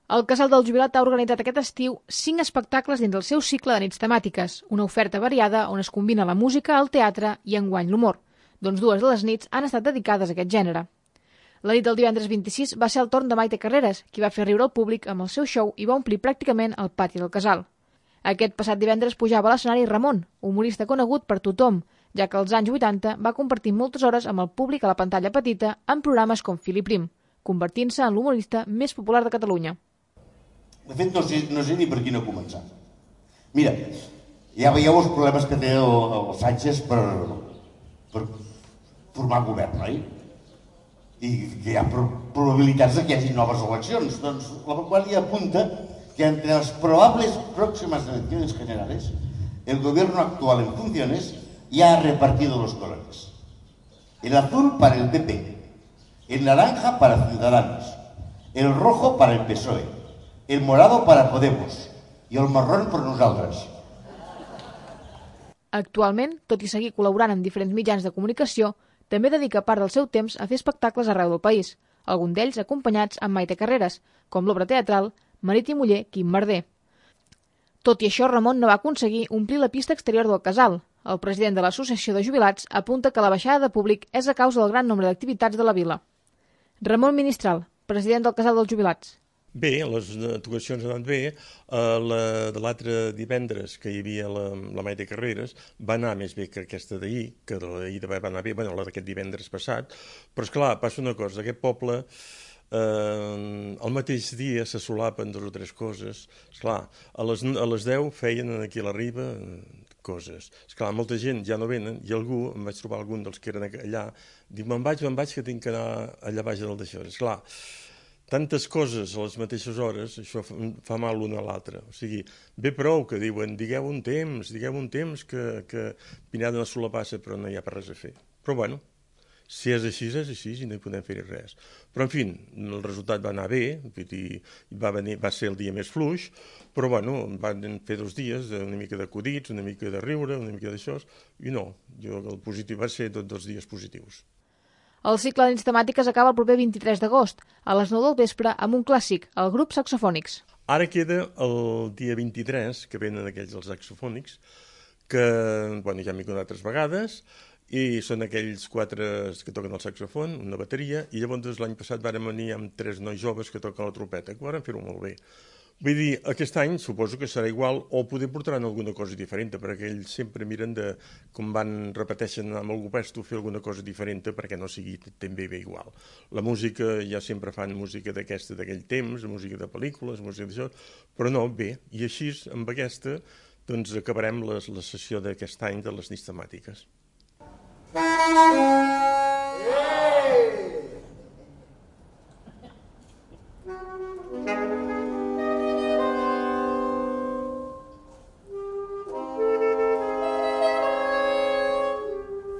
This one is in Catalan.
El Casal del Jubilat ha organitzat aquest estiu 5 espectacles dins del seu cicle de nits temàtiques, una oferta variada on es combina la música, el teatre i enguany l'humor. Doncs 2 de les nits han estat dedicades a aquest gènere. La nit del divendres 26 va ser el torn de Maite Carreras, qui va fer riure el públic amb el seu show i va omplir pràcticament el pati del casal. Aquest passat divendres pujava a l'escenari Ramon, humorista conegut per tothom, ja que als anys 80 va compartir moltes hores amb el públic a la pantalla petita en programes com Fil i Prim, convertint-se en l'humorista més popular de Catalunya. De fet, no sé ni per quina començar. Mira, ja veieu els problemes que té el Sánchez per formar govern, oi? I que hi ha probabilitats que hi hagi noves eleccions. Doncs la Vanguardia apunta que entre las probables próximas elecciones generales, el gobierno actual en funciones ya ha repartido los colores. El azul para el PP, el naranja para Ciudadanos, el rojo para el PSOE, el morado para Podemos i el marrón per nosaltres. Actualment, tot i seguir col·laborant en diferents mitjans de comunicació, també dedica part del seu temps a fer espectacles arreu del país, alguns d'ells acompanyats amb Maite Carreras, com l'obra teatral Marit i muller, Quim Merder. Tot i això, Ramon no va aconseguir omplir la pista exterior del casal. El president de l'Associació de Jubilats apunta que la baixada de públic és a causa del gran nombre d'activitats de la vila. Ramon Ministral, president del Casal dels Jubilats. Bé, les actuacions han anat bé. De l'altre divendres que hi havia la Maite Carreras va anar més bé que aquesta d'ahir, que d'ahir va anar bé, bueno, la d'aquest divendres passat, però esclar, passa una cosa, aquest poble el mateix dia se solapen 2 o 3 coses. Esclar, a les 10 feien aquí a la Riba coses. Esclar, molta gent ja no venen i algú, em vaig trobar algun dels que eren allà, diu, me'n vaig, que tinc que anar allà baix del d'això. Esclar, tantes coses a les mateixes hores, això fa mal l'una a l'altra. O sigui, ve prou que diuen, digueu un temps que Pineda no se la passa, però no hi ha per res a fer. Però bueno, si és així i no hi podem fer res. Però en fi, el resultat va anar bé, va ser el dia més fluix, però bueno, van fer 2 dies una mica d'acudits, una mica de riure, una mica d'això, i no, el positiu va ser tots 2 dies positius. El cicle de nits temàtiques acaba el proper 23 d'agost, a les 9 del vespre, amb un clàssic, el grup Saxofònics. Ara queda el dia 23, que venen aquells els saxofònics, que bueno, ja m'he contat 3 vegades, i són aquells 4 que toquen el saxofon, una bateria, i llavors l'any passat vàrem venir amb 3 nois joves que toquen la trompeta, que varen fer-ho molt bé. Vull dir, aquest any suposo que serà igual o poder portaran alguna cosa diferent, perquè ells sempre miren de, com repeteixen amb algú pesto, fer alguna cosa diferent perquè no sigui també bé igual. La música, ja sempre fan música d'aquell temps, música de pel·lícules, música d'això, però no, bé, i així amb aquesta doncs acabarem la sessió d'aquest any de les nits temàtiques.